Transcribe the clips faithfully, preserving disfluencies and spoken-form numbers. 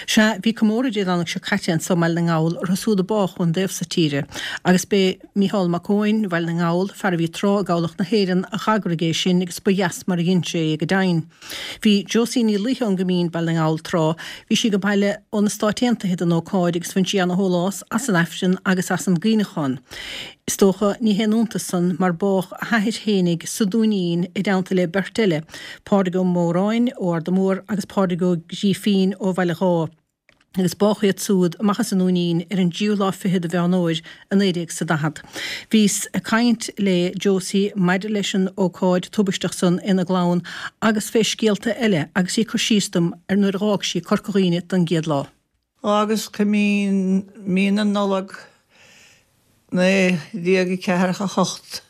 Sea, bhí comóradh Dé Domhnaigh seo caite anso i mBaile na nGall orthu siúd a bádh ón dtaobh so tíre, agus b'é Mícheál Mac Eoin, Bhaile na nGall, fear a bhí tráth i gCabhlach na hÉireann, a dh'eagraigh é sin agus ba dheas mar a dhein sé é go deimhin. Bhí Josie Ní Laoithe ón gCoimín, Baile na nGall, tráth, bhí sí ag baile ó na Stáit Aontaithe don ócáid agus bhain sí ana-shólás as an Aifreann agus as an gcuimhneachán. Is dócha, ní haon iontas san mar bádh a hathair fhéinig sa Dúinín i dteannta le beirt eile, Pádraig Ó Móráin ó Arda Mór agus Pádraig Ó Grífín ó Bhaile Dháith, agus bádh iad súd amach as an nDúinín ar an dtríú lá fichead de Mheán Fhómhair i naoi déag 's a daichead. Bhíos ag caint le Josie maidir leis an ócáid tubaisteach san ina gclann agus fé scéalta eile agus í ag cur síos dom ar nuair a dh'fhág sí Corca Dhuibhne don gcéad lá. Fhágas Coimín mí na Nollag naoi déag ceathracha a hocht,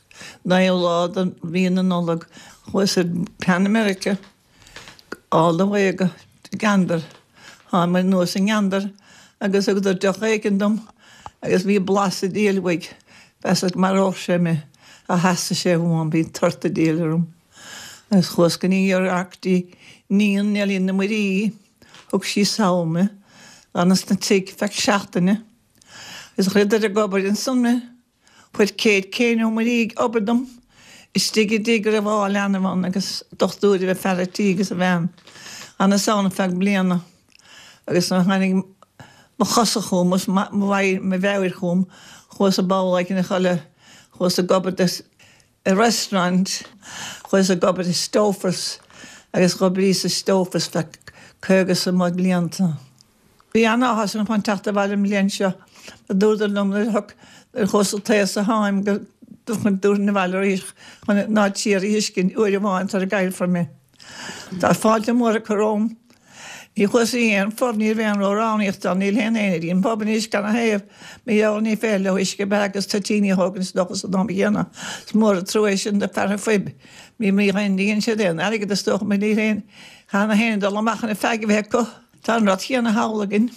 naoú lá de mhí na Nollag, chuas ar Pan America all the way go Gander. Tháinig anuas i nGander agus thugadar deoch éigin dom agus bhí blas an diabhail uaidh, mheasas go maródh sé mé, ach theastaigh sé uaim, bhí tort an diabhail orm. Agus chuas go New York dtí níon Neilín na Muirí, thug sí sall mé, d'fhanas 'na tigh feadh seachtaine. Is chuireadar ag obair ansan mé. Chuir Kate Kane Ó Muirí ag obair dom istigh i dtigh a raibh dhá leanbh ann agus dochtúir a bhí fear a' tí agus a bhean. D'fhanas ann feadh bliana agus nuair a tháinig mo chosa chugam agus mo mheabhair chugam chuas ag babhláil a chodladh, chuas ag obair do i restaurant, chuas ag obair i Stouffer's agus dh'oibríos i Stouffer's feadh caoga is a blianta. Bhí an-áthas orm chun teacht abhaile an bhliain seo, a dúradar liom nuair a thug nuair a chuas an taos a tháim go dtabharfainn abhaile arís chun ná tír a fheiscint uair amháin sara gcaillfear mé. Tá fáilte mhór acu romham. Ní chuas i aon phub, ní raibh aon ró-roghnaíocht ann, níl aon éinne i an pub anois gan a thaobh, mar gheall ní féidir leo uisce beatha agus toitíní a thógaint is dócha san am chéanna. Is mór an trua é sin do fear an phuib. Ní ní dhéanann siad aon airgead is dócha mar níl aon cheana féin dul amach ina feadh a bheith acu. Tá an rud chéanna thall againn.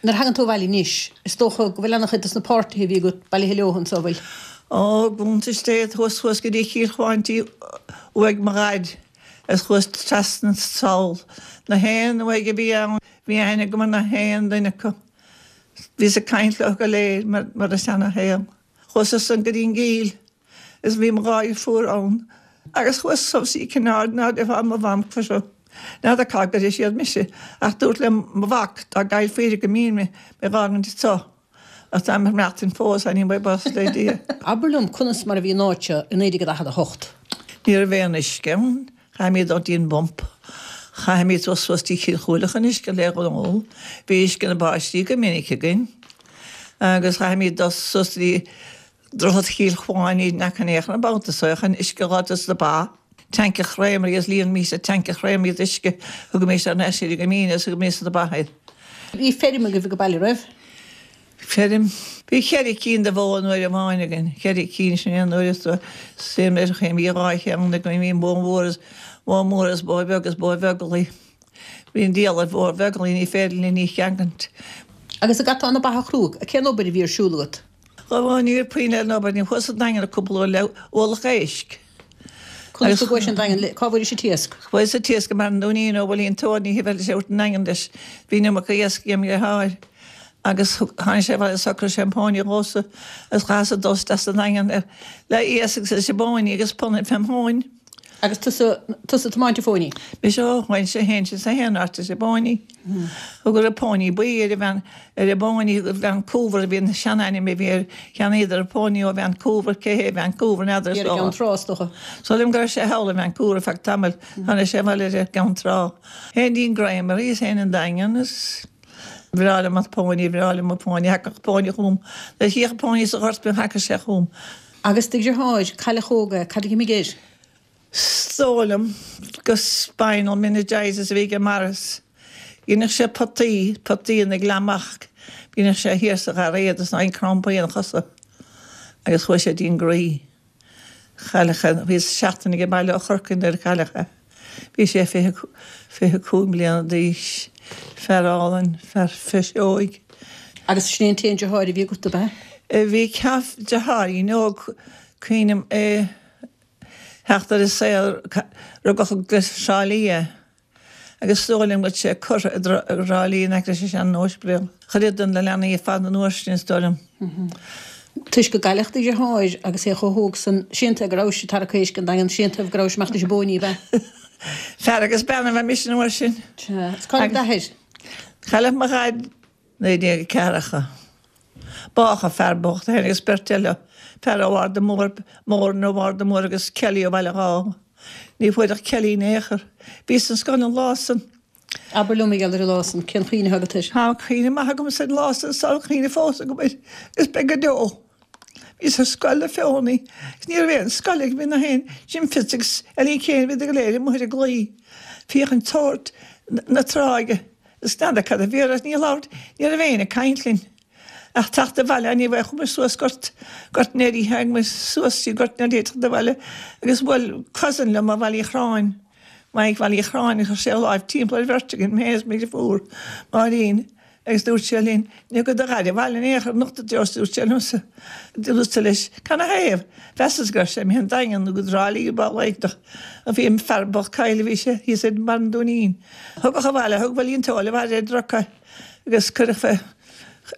Nuair a thagann tú abhaile anois, is dócha go bhfuil an-chuid dos na páirtithe a bhí agat bailithe leo anso, bhfuil? Ó, gContae State, thuas thuas go dtí Cill Chuáin uaigh mo dhaid is chuas trasna sall. Na haon uaigh a bhí ann, bhí aithne agam ar na haon duine acu. Bhíos ag caint leo go léir mar mar a seana-shaol. Chuas ansan go dtí an gCill is bhí mo dhá dheirfiúr ann agus chuas suas í Cionn ná deifá mo mham curtha. N'fheadar cá gcuirfidh siad mise ach dúirt le mo mhac dá gcaillfí go mín mé mé dh'fhágaint anseo. Ach táim ag maireachtaint fós, anyway, buíochas le Dia. Abair liom conas mar a bhí an áit seo i naoi déag daichead a hocht. Ní raibh aon uisce ann. Chaithfimid dul dtí an bpump. Chaithfimid dul suas dtí Cill Chúile chun uisce le ól. Bhí uisce na báistí go minic againn. Agus chaithfimid dul suas dtí Droichead Chill Chuáin in aice an na babhta so chun uisce a fháil dos na ba. Tanc a chréamraí agus líonaimis an tanc a chréamraí d'uisce, thugaimis ar ais iad go mín agus thugaimis do na ba iad. Bhí feirm agaibh ag baile, raibh? Feirm. Bhí ceithre cinn de bhó an uair amháin againn, ceithre cinn sin aon uair is suim ar chaoi bhí dhá cheann againn, bhí bó mhór is bó mhór is bó bheag is bó bheaglaí. Bhí an diabhal ar bhó bheaglaí ní féidir linn í cheangaint. Agus an gcaiteá na ba a chrú, cén obair a bhí ar siúl agat? Ó ní raibh puinn ar an obair, ní chuas an Daingean cúpla uair le ualach éisc. Conas go gcuais an Daingean le, cá bhfuairis an t-iasc? Fuaireas an t-iasc i mBaile an Dúinín ó Bhuilín Tóir, ní bheadh sé ort an Daingean leis, bhí an iomarca iasc agam dheartháir. Agus tháinig sé abhaile shocraigh sé an póiní dhomhsa agus chaitheas dul isteach sa Daingean le iasc agus leis an bpóiní agus punann fém thóin. Agus tusa, tusa ag tiomáint an phóiní? Mise ó bhain sé fhéin sin sa haon áit leis an bpóiní. Thugadar an póiní buí ar an bhean, ar an bpóiní Vancouver a bhí an seanainm a bhí air, cheannaíodar an póiní ó Vancouver, cé hé Vancouver n'fheadar is Ar an gCeann Trá is dócha. Is dóigh liom go raibh sé thall i Vancouver ar feadh tamaill, tháinig sé abhaile ar an gCeann Trá. Théinn dtí'n Gréamaraí is théinn an Daingean is bhreá liom an póiní, bhreá liom an póiní, thagadh póiní chugam, nuair a chífeadh póiní sa ghort thagadh sé chugam. Agus do dheartháir, cailleadh óg é, cad a d'imigh air? 'S dóigh liom gur spinal meningitis a bhí aige Maurice. Dheineadh sé potaí, potaí ina ghleamach, dheineadh sé thiar sa ghairéad is ná aon crampaí ina chosa agus chuaigh sé dtí'n gcroí. Cailleadh é, bhíos seachtain ag baile ó Chorcaigh nuair a cailleadh é. Bhí sé fiche, fiche cúig mbliana d'aois. Fear álainn, fear fuiseoig. Agus sin é an t-aon deartháir a bhí agat, ab ea? Bhí deartháirín óg, cuimhním é theacht ar an saol, rugadh i dTrá Lí é Agus is dóigh liom go bhfuil sé curtha i dTrá Lí in aice leis an sean-Ospidéal. Chuir iad na leanaí ar fad an uair sin, is dóigh liom. Toisc go gcailleadh do dheartháir agus é chomh hóg san, sé'n taobh go rabhais ag tarrac éisc an Daingean, sé'n taobh go rabhais amach leis an bpóiní, ab ea? Fear agus bean a bhí mise an uair sin. Sea. Is cailleadh d'athair. Cailleadh mo dhaid naoi déag ceathracha. Bádh an fear bocht, é féin agus beirt eile, fear ó Arda Mór, Moran ó Arda Mór agus Kelly ó Bhaile Dháith. Ní fuair ach Kelly in aon chor. Bhíos sa scoil an lá san. Abair liom mar gheall ar an lá san, cén chuimhne atá agat air? Tá cuimhne maith agamsa ar an lá san is tá cuimhne fós agam air agus beidh go deo. Bhíos ar scoil na Feothanaí agus ní raibh aon scoil ag, bhí na haon, Jim Fitz agus Ellie Kane, bhíodar go léir amuigh ar an gclaí féachaint sórt na tráighe agus n'fheadar cad a bhí orthu, ní labhairt, ní raibh éinne ag caint linn. Ach teacht abhaile, ní bheadh, chuaigh muid suas Gort, Gort an Earraigh, tháinig muid suas trí Gort an Earraigh teacht abhaile agus bhuail cousin liom ó Bhaile Uí Chorráin, Mike Bhaile Uí Chorráin, chuir sé a láimh timpeall ar bheirt againn, mé agus mo dheirfiúr, Máirín, agus dúirt sé linn, Ní gabhfaidh do dhaid abhaile in aon chor anocht a Josie, dúirt sé liomsa. Dúrtsa leis, Canathaobh? Mheasas go raibh sé imithe an Daingean nó go dTrá Lí nó baol éigeantach. Bhí an fear bocht caillte, bhí sé thíos ar bharr an Dúinín. Thugadh abhaile, thug Willie an t-ól abhaile ar druga agus cuireadh fé.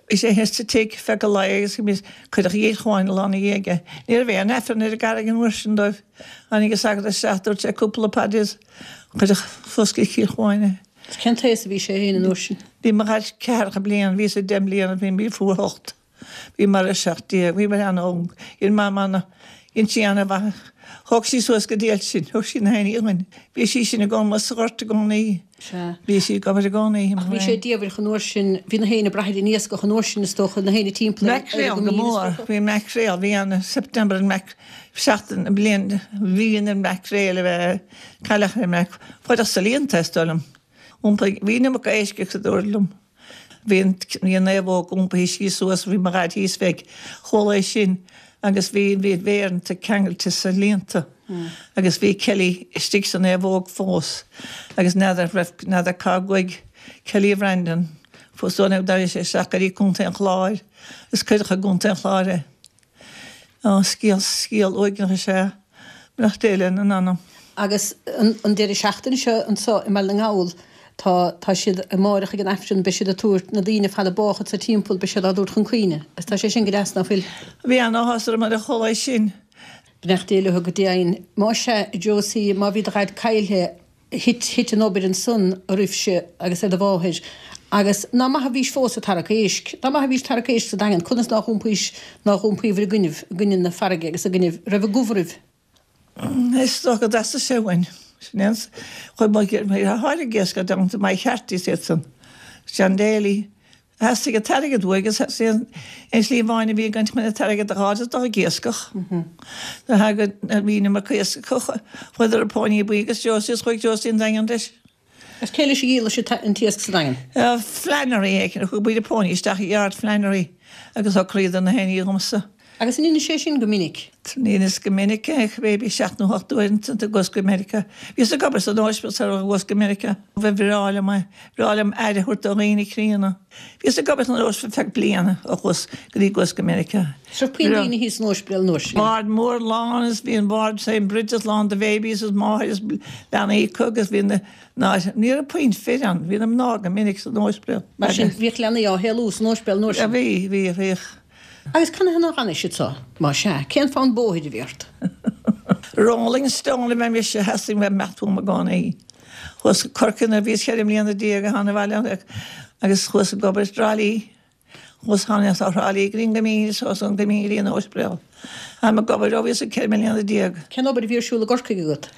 Bhí sé thíos sa tigh feadh an lae agus cuireadh a Chill Chuáin an lá ina dhiaidh é. Ní raibh aon Aifreann ar an gCarraig an uair sin dóibh. Tháinig an sagart isteach, dúirt sé cúpla paidir is cuireadh suas go Cill Chuáin é. Cén t-aos a bhí sé féin an uair sin? Bhí mo dhaid ceathracha bliain, bhíos-sa deich mbliana, bhí mo dheirfiúr ocht. Bhíomar a seacht déag, bhíomar an-óg. Dhein Mam ana, dhein sí ana-mhaith. Thóg sí suas go diail sinn, thug sí na héinní dhuinn. Bhí sí sin i gcónaí sa ghort i gcónaí. Sea. Bhí sí ag obair i gcónaí. Ach bhí sé diamhair an uair sin, bhí na héinne ag brath ar an iascach an uair sin is dócha, na héinne timpeall ar Maicréal go mór, bhí maicréal, bhí an September an maic, seachtain, bliain, mhí an mhaicréil a bheith, cailleach ar maic, fuaireadh sa líonta is dóigh liom. Iompaigh, bhí an iomarca éisc acu a dúradh liom. Bhí an bhí an naomhóg iompaithe síos suas, bhí mo dhaid thíos fé, chuala é sin agus bhí bhí mhéireanta ceangailte sa líonta agus bhí Kelly istigh sa naomhóg fós agus n'fheadar raibh n'fheadar cá gcuaigh Kelly Bhreandan fós dóigh liom d'éirigh sé isteach go dtí Contae an Chláir agus cuireadh i gContae an Chláir é. Ó, scéal scéal uaigneach is ea beannacht Dé lena anam. Agus an deireadh seachtaine seo anseo i mBaile na nGall, tá, tá siad, amáireach ag an Aifreann, beidh siad ag tabhairt, na daoine ar fad a bádh anso timpeall, beidh siad á dtabhairt chun cuimhne. Agus tá sé sin go deas, ná fuil? Bhí an-áthas orm nuair a chuala é sin. Beannacht Dé leo go deimhin. Más ea, a Josie, má bhí do dhaid caillthe, thit, thit an obair ansan oraibhse agus ar do mháthair. Agus ná maith a bhís fós ag tarrac éisc. Dá maith a bhís ag tarrac éisc sa Daingean, conas nár dh'iompaís, nár dh'iompaíobhair i gcoinnibh, i gcoinne na farraige agus i gcoinnibh, raibh i gcumha oraibh? Is dócha go dteastaigh sé uainn. Sin é an chuid mo tháirg iasc i dteannta Mike Harte is iad san. John Daly. Theastaigh an t-airgead uaidh agus is é an tslí amháin a bhí againn chun an t-airgead a dh'fháil is dul ag iascach. Nuair a thagadh na bhí na mac iascaigh chuadar ar Póiní Buí agus Josie is chuaigh Josie an Daingean leis. Agus cé leis a dhíoladh sibh an t-iasc sa Daingean? Flannery éicint. Thug muid an póiní isteach i yard Flannery agus shocraíodar na héinní dhomsa. Agus an ndearna sé sin go minic? Ní fhios go minic é, maybe seacht nó hocht uair ansan go go Meiriceá. Bhíos ag obair san ospidéal sar a chuas go Meiriceá. Ba bhreá liom é, bhreá liom aire a thabhairt do dhaoine críonna. Bhíos ag obair san ospidéal feadh bliana ó chuas go dtí gcuas go Meiriceá. Is raibh puinn daoine thíos san ospidéal an uair sin. Ward mór lán is bhí an ward St Brigid's lán de bhabies is máthair is leanaí acu agus bhí na ná ní raibh puinn fir ann, bhí na mná go minic san ospidéal. Mar sin bhíodh leanaí á shaolú san ospidéal an uair sin. Bhí, bhí, bhíodh. Agus canathaobh nár fhanais anso, má sea, cén fonn bóthair a bhí ort? Rolling Stone a bhí mise, theastaigh uaim imeacht uaim i gcónaí. Chuas go Corcaigh nuair a bhíos ceithre mbliana déag a thána abhaile agus chuas ag obair i dTrá Lí. Chuas tháinig ó Thrá Lí go dtí an Coimín is chuas ón gCoimín go dtí an Ospidéal. Táim ag obair ó bhíos ceithre mbliana déag. Cén obair a bhí ar siúl i gCorcaigh agat?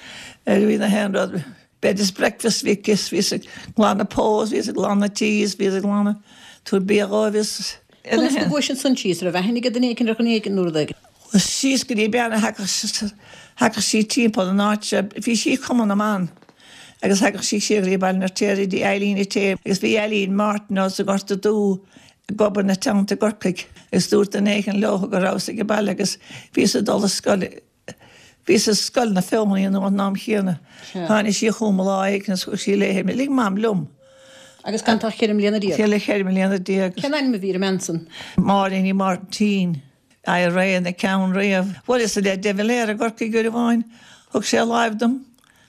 Bhí na haon rud. Bed is breakfast bhí is bhíos ag glanadh poll is bhíos ag glanadh tí is bhíos ag glanadh tabhairt bia dhóibh is. Conas go gcuais ansan síos? Raibh aithne ag duine éicint ar dhuine éicint nó rud éigin? Chuas síos go dtí bean a thagadh thagadh sí timpeall an áit seo, bhí sí i Cumann na mBan agus thagadh sí siar go dtí Baile an Fheirtéaraigh dtí Eileen Ité agus bhí Eileen Martin as an Ghorta Dubh ag obair ina teannta i gCorcaigh agus dúirt duine éigin leo go rabhas ag baile agus bhíos ag dul a scoil Bhíos i Scoil na Feothanaí an am chéanna. Tháinig sí chugam lá éigin agus thug sí léi mé. Lig Mam liom. Agus gan tú ach ceithre mbliana déag. Ceithre ceithre mbliana déag. Cén ainm a bhí ar an mbean san? Máirín Uí Mháirtín. IRA ina ceann riamh. Bhuaileas le De Valera i gCorcaigh uair amháin. Thug sé láimh dom.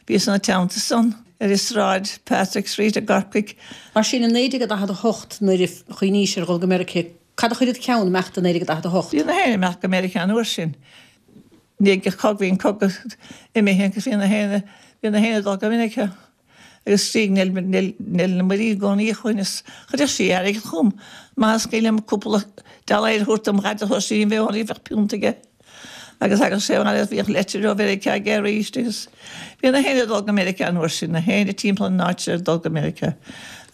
Bhíos ina teannta san. ar an sráid Patrick Street i gCorcaigh. Mar sin i naoi déag a daichead a hocht nuair a chuimhnís ar dhul go Meiriceá, cad a chuir id cheann imeacht i naoi déag a daichead a hocht? Bhí na héinne imeacht go Meiriceá an uair sin. Ní ag cogadh, bhí an cogadh imithe agus bhí na héinne, bhí na héinne ag dul go Meiriceá. Agus sí, níl, níl, níl na muirí i gcónaí chugainn is chuirfeadh sí airgead chugam. Más cuimhin liom cúpla dollar a thabhairt dom dhaid a thabhairt sí, ní bheadh ann, bheadh punt aige. Agus thagadh sé abhaile agus bhíodh leitir ó Mheiriceá aige arís agus bhí na héinne ag dul go Meiriceá an uair sin, na héinne timpeall an áit ag dul go Meiriceá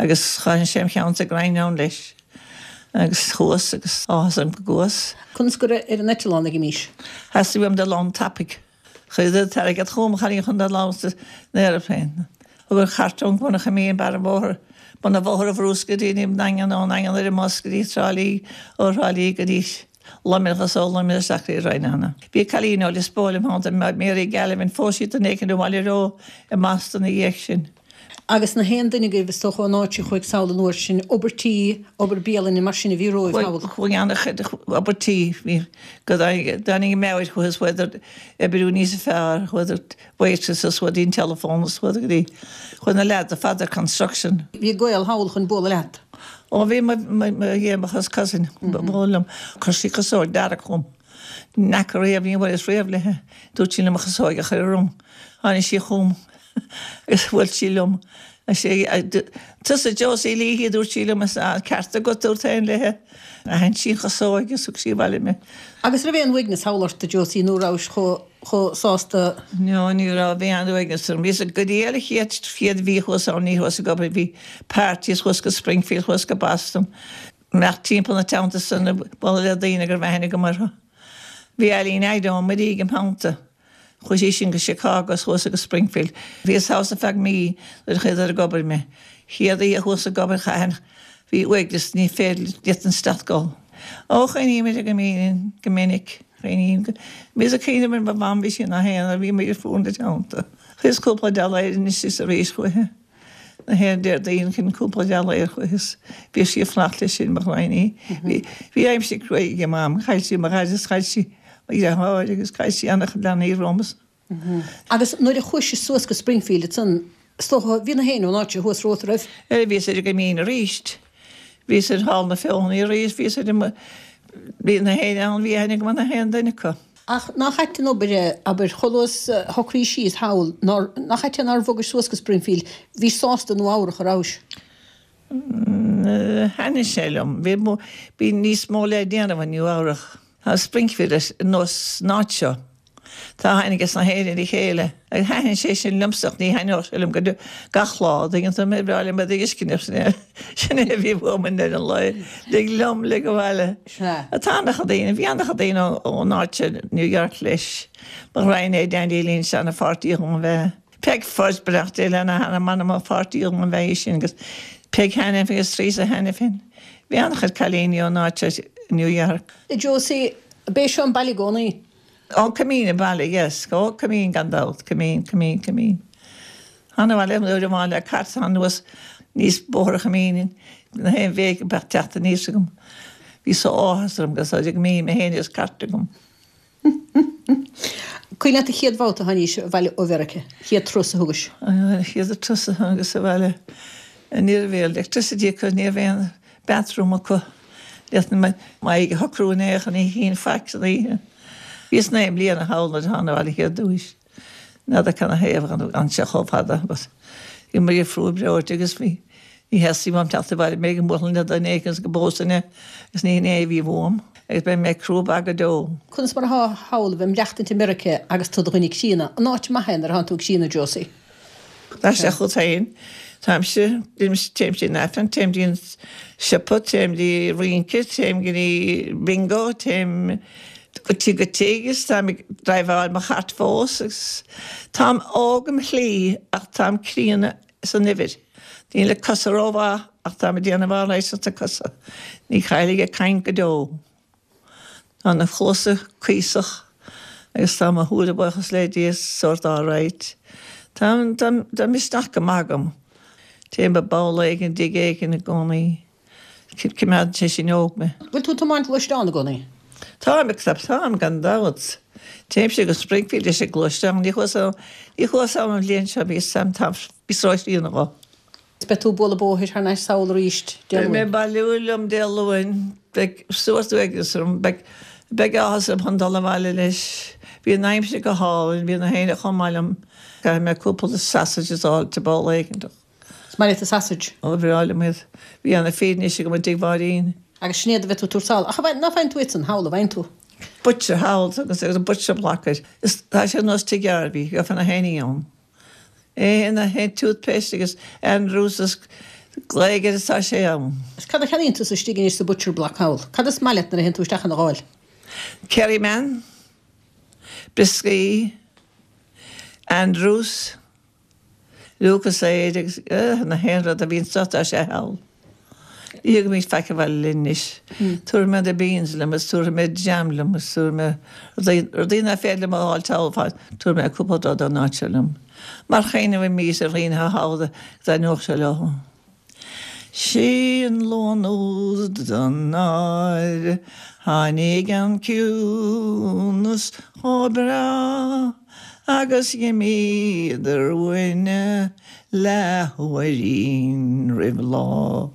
agus chaith sé im cheann sa gcrann ann leis agus chuas agus áthas orm go gcuas. Conas go raibh ar an eitleán ag an aois? Theastaigh uaim dul ann tapaidh. Chuireadar an t-airgead chugam, chan chun dul ann san aeroplane. Thug an chairt ón gCuanach a mbíonn barr an bhóthair, bun an bhóthair a bhrúsc go dtí an nDaingean, ón nDaingean ar an mbus go dtí Trá Lí, ó Thrá Lí go dtí Luimneach is ó Luimneach isteach go dtí Rinn. Bhí cailín ó Lios Póil im theannta, Mary Gallivan, phós sí duine éicint ó bhaile Eo i mBoston ina dhiaidh sin. Agus na haon duine agaibh, is dócha, ón áit a chuaigh sall an uair sin, obair tí, obair bialainne, mar sin a bhí romhaibh thall. Chuaigh an-chuid obair tí, bhí, go dtáinig an meabhair chucu is chuadar oibriú níos fearr, chuadar waitresses, chuadar dtí an telephone is chuadar go dtí, chuaigh na leaids ar fad ar construction. Bhí gaol thall chun bualadh leat. Ó bhí mo yeah mo chos cousin ba mhó liom. Chuir sí casóg dearg chugam. Ní fhaca riamh, ní bhuaileas riamh léi. Dúirt sí liom mo chasóig a chur orm. Tháinig sí chugam agus bhuail sí liom. Tusa Josie Leahy a dúirt sí liom is an ceart agat dúrt féin léi. Aithin sí an chasóig agus thug sí abhaile mé. Agus raibh aon uaigneas thall ort a Josie nó rabhais chomh chomh sásta? No, ní raibh, bhí an-uaigneas orm. Bhíos go dtí an chéad chéad mhí thuas ann, ní thuas ag obair, bhí parties thuas go Springfield, thuas go Boston. Imeacht timpeall na teannta san ag bualadh le daoine go raibh aithne agam orthu. Bhí Eileen Ido Muirígh im theannta. Chuaigh sí sin go Chicago is thuas go Springfield. Bhíos thall ar feadh mí nuair a chuadar ag obair mé. Chéad oíche thuas ag obair chaithfinn, bhí uaigneas, ní féidir, ní fhéadfainn stad gol. Ó, chuimhnímid go minic, go minic. Cuimhním go, bhíos ag cuimhneamh ar mo mham, bhí sí ina haonar, bhí muid ar fuaid ina teannta. Chuireas cúpla dollar anois is arís chuici. Na haon Déardaoin chuirinn cúpla dollar chuici is bhíodh sí ag fanacht leis sin, mo ghraidhin. Bhí, bhí aimsir cruaidh ag mam, chaill sí mo dhaid is chaill sí mo dheartháir agus chaill sí an-chuid leanaí romhas. Agus nuair a chuais suas go Springfield ansan, Is dócha, bhí na héinne ón áit seo thuas romhat, raibh? Eh, bhíos ar an gCoimín arís. Bhíos ar Hall na Feothanaí arís, bhíos ar an, bhí na héinne ann, bhí aithne agam ar na haon duine acu. Ach nach ait an obair é, abair, chomh luath is a shocraís síos thall, nár, nach ait é nár bhogais suas go Springfield, bhís sásta i Nua Eabhrach, a rabhais? Thaitnigh sé liom. Bhí, bhí níos mó le déanamh i Nua Eabhrach. Tá Springfield ar nós an áit seo. Tá aithne ages na héinne ar a chéile agus thaitin sé sin liomsa ach ní thaitneodh sé liom go gach lá, an dtuigeann tú mé, bhreá liom a bheith ag uisce sin é sin é a bhí uaim i ndeireadh an lae, lig liom, lig abhaile. Tá an-chuid daoine, bhí an-chuid daoine ón áit seo, New York leis, mo ghraidhin é Dandy Lynch ana-pháirtí dhom a bheith. Peg Fudge, beannacht Dé lena hanam, m'anam an pháirtí dhom a bheith í sin agus Peg Hanafin agus Teresa Hanafin. Bhí an-chuid cailíní ón áit seo, New York. Josie, B'é seo an baile i gcónaí? Ó, Coimín an baile, yes. Ó, Coimín gan dabht, Coimín, Coimín, Coimín. Th'anam bhaile uair amháin le cairt anuas níos Bóthar Choimín na haon bhéic a bheadh teacht aníos agam. Bhí só áthas orm go raibh Coimín mé féin agus cairt agam. Cuimhin leat an chéad bhabhta a tháinís abhaile ó Mheiriceá, chéad turas a thugais? An chéad turas a thángas abhaile, ní raibh electricity acu, ní raibh aon bathroom acu. D'fhéadfainn m'aghaidh a shocrú in aon chor, ní chínn faic san oíche. Bhíos naoi mbliana thall nuair a thána abhaile chéad uair. N'fheadar cad 'na thaobh a d'fhan sé chomh fada but bhí muid ag fuar breoite agus bhí ní theastaigh uaim teacht abhaile mé ag bualadh le duine éigin go bpósfainn é agus ní hin é a bhí uaim agus beidh mé crua bog go deo. Conas mar atá thall a bheith maireachtaint i Meiriceá agus tú i do dhuine críonna? An áit maith é nuair atánn tú críonna, Josie? Tá sé chugat féin. Táimse, téim dtí an Aifreann, téim dtí an siopa, téim dtí rince, téim go dtí bingo, téim go tigh go tigh is táim ag driveáil mo chairt fós agus táim óg im shlí ach táim críonna san uimhir. Níl na cosa rómhaith ach táim ag déanamh alright sna cosa. Ní chaillfidh ag caint go deo. Tá na cluasa cuíosach agus tá mo shúile, buíochas le Dia, sórt alright. Tá, tá, tá misneach go maith agam. Téim i bpoll éigin, dtig éigin i gcónaí. Coimeádann sé sin óg mé. Bhfuil tú ag tiomáint gluaisteán i gcónaí? Táim ag táim gan dabht. Téimse go Springfield leis an gluaisteán, ní chuas ní chuas an bhliain seo bhí sam bhí sráidíonna go. Beidh tú ag bualadh bóthair thar n-ais sall arís Dé Beidh mé Luain. bailiú liom Dé Luain, beidh suas uaigneas orm, beidh beidh áthas orm chun dul abhaile leis. Bhí an aimsir go hálainn, bhí na héinne chomh maith liom. Caithfidh mé cúpla sausages a fháil te ball éigeantach. Is maith leat sausage. Ó bhreá liom iad. Bhí ana féin go dtig bháirín. Agus sin iad a bheidh tú ag tabhairt sall. Ach ná faigheann tú iad san thall, a bhfaigheann tú? Butcher thall agus agus butcher block. Is tá sé nós Tigh Garvey, go fanna héine ann. É na hé toothpaste agus Andrews is gléigear is tá sé ann. Is cad a cheannaíonn tú istigh anois sa Butcher Block thall. Cad is maith leat nuair a théann tú isteach ina gháil? Kerryman, Brioscaí, Andrews, Lucozade agus uh, na haon rud a bhíonn sota sé thall. Ní mí feice bhil linnis. Tabharfaidh mé na beans liom is tabharfaidh mé jam liom is tabharfaidh mé rudaí nach féidir liom a fháil thall tabharfaidh mé cúpla rud ón áit seo liom. Mar chéine bh mí a rion háda nuach se le. Sin Luan úd don náir, tháinig an ciúnas chomh breá, agus d'imíodar uainne leathuairín roimh lá.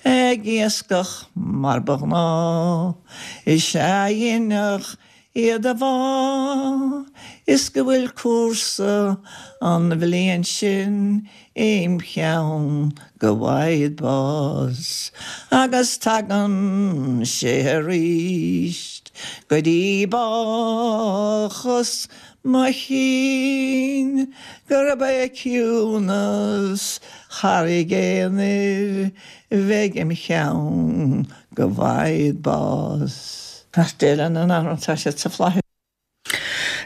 Ag iascach mar ba ghnáth, is ea dheineadh iad a bhá, is go bhfuil cúrsa an bhliain sin im cheann go bhfaighid bás, agus tagann sé arís go dtí bácas mo chinn gurb é ciúnas Charraig Aonair bheidh im cheann go bhfaighid bás. Tá an an tá sé sa flaith.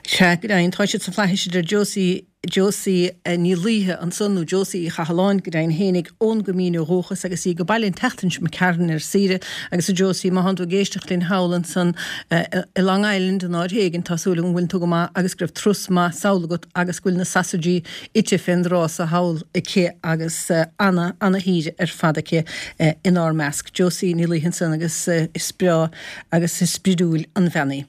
Sea, go deimhin, tá siad sa fhlaithis idir Josie Josie Ní Laoithe ansan nó Josie Uí Chathalláin go deimhin fhéinig ón gCoimín ó dhúchas agus í go Baile an tseachtain seo Carn ar saoire agus a Josie má thánn tú ag éisteacht linn thall ansan i Long Island in áit éigin tá súil agam go bhfuil tú go maith agus go raibh turas maith sall agat agus go bhfuil na sausages ite fén dtráth sa thall aici agus ana ana shaoire ar fad aici inár measc. Josie Ní Laoithe ansan agus is breá agus is spridiúil an bhean í.